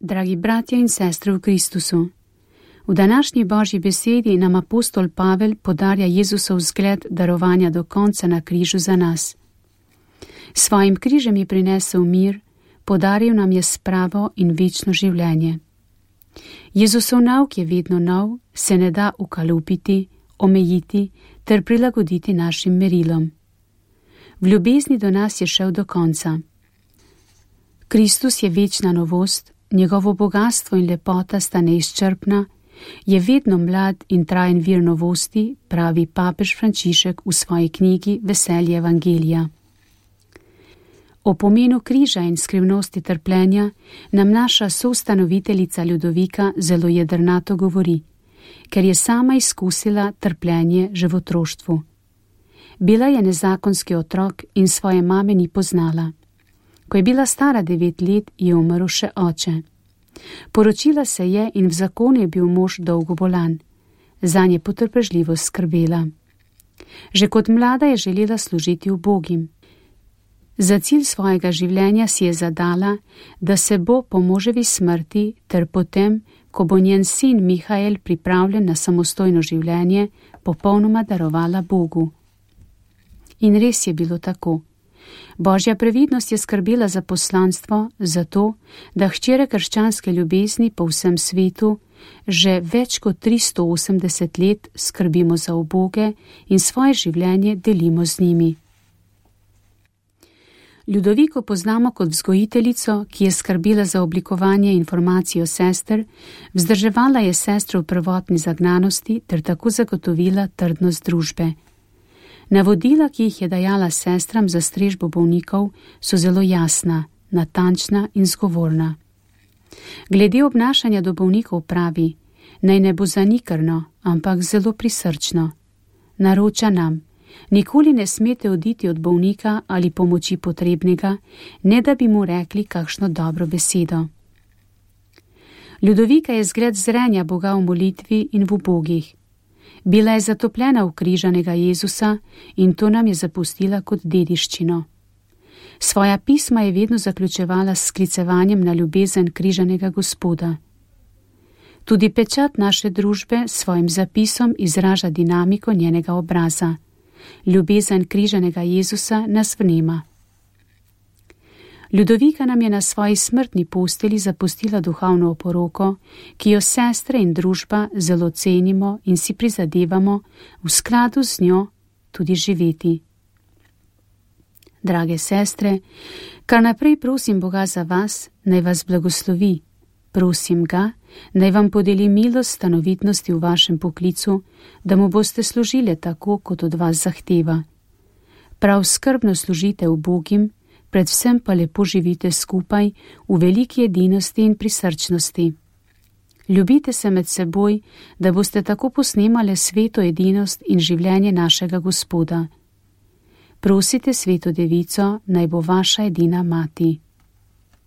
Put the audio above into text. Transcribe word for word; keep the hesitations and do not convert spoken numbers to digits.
Dragi bratje in sestre v Kristusu, v današnji Božji besedi nam apostol Pavel podarja Jezusov zgled darovanja do konca na križu za nas. Svojim križem je prinesel mir, podaril nam je spravo in večno življenje. Jezusov nauk je vedno nov, se ne da ukalupiti, omejiti ter prilagoditi našim merilom. V ljubezni do nas je šel do konca. Kristus je večna novost, njegovo bogastvo in lepota sta neizčrpna, je vedno mlad in trajen vir novosti, pravi papež Frančišek v svoji knjigi Veselje evangelija. O pomenu križa in skrivnosti trpljenja nam naša soustanoviteljica Ljudovika zelo jedrnato govori, ker je sama izkusila trpljenje že v otroštvu. Bila je nezakonski otrok in svoje mame ni poznala. Ko je bila stara devet let, je umrl še oče. Poročila se je in v zakonu je bil mož dolgo bolan. Zanj je potrpežljivo skrbela. Že kot mlada je želela služiti ubogim. Za cilj svojega življenja si je zadala, da se bo po moževi smrti ter potem, ko bo njen sin Mihael pripravljen na samostojno življenje, popolnoma darovala Bogu. In res je bilo tako. Božja previdnost je skrbela za poslanstvo, zato, da hčere krščanske ljubezni po vsem svetu že več kot tristo osemdeset let skrbimo za uboge in svoje življenje delimo z njimi. Ljudoviko poznamo kot vzgojiteljico, ki je skrbela za oblikovanje informacij o sester, vzdrževala je sestro v prvotni zagnanosti ter tako zagotovila trdnost družbe. Navodila, ki jih je dajala sestram za strežbo bolnikov, so zelo jasna, natančna in zgovorna. Glede obnašanja do bolnikov pravi, naj ne bo zanikrno, ampak zelo prisrčno. Naroča nam, nikoli ne smete oditi od bolnika ali pomoči potrebnega, ne da bi mu rekli kakšno dobro besedo. Ljudovika je zgled zrenja Boga v molitvi in v ubogih. Bila je zatopljena v križanega Jezusa in to nam je zapustila kot dediščino. Svoja pisma je vedno zaključevala s sklicevanjem na ljubezen križanega Gospoda. Tudi pečat naše družbe s svojim zapisom izraža dinamiko njenega obraza. Ljubezen križanega Jezusa nas vnema. Ljudovika nam je na svoji smrtni posteli zapustila duhovno oporoko, ki jo sestre in družba zelo cenimo in si prizadevamo v skladu z njo tudi živeti. Drage sestre, kar naprej prosim Boga za vas, naj vas blagoslovi. Prosim ga, naj vam podeli milost stanovitnosti v vašem poklicu, da mu boste služili tako, kot od vas zahteva. Prav skrbno služite ubogim, predvsem pa lepo živite skupaj v veliki edinosti in prisrčnosti. Ljubite se med seboj, da boste tako posnemali sveto edinost in življenje našega Gospoda. Prosite sveto devico, naj bo vaša edina mati.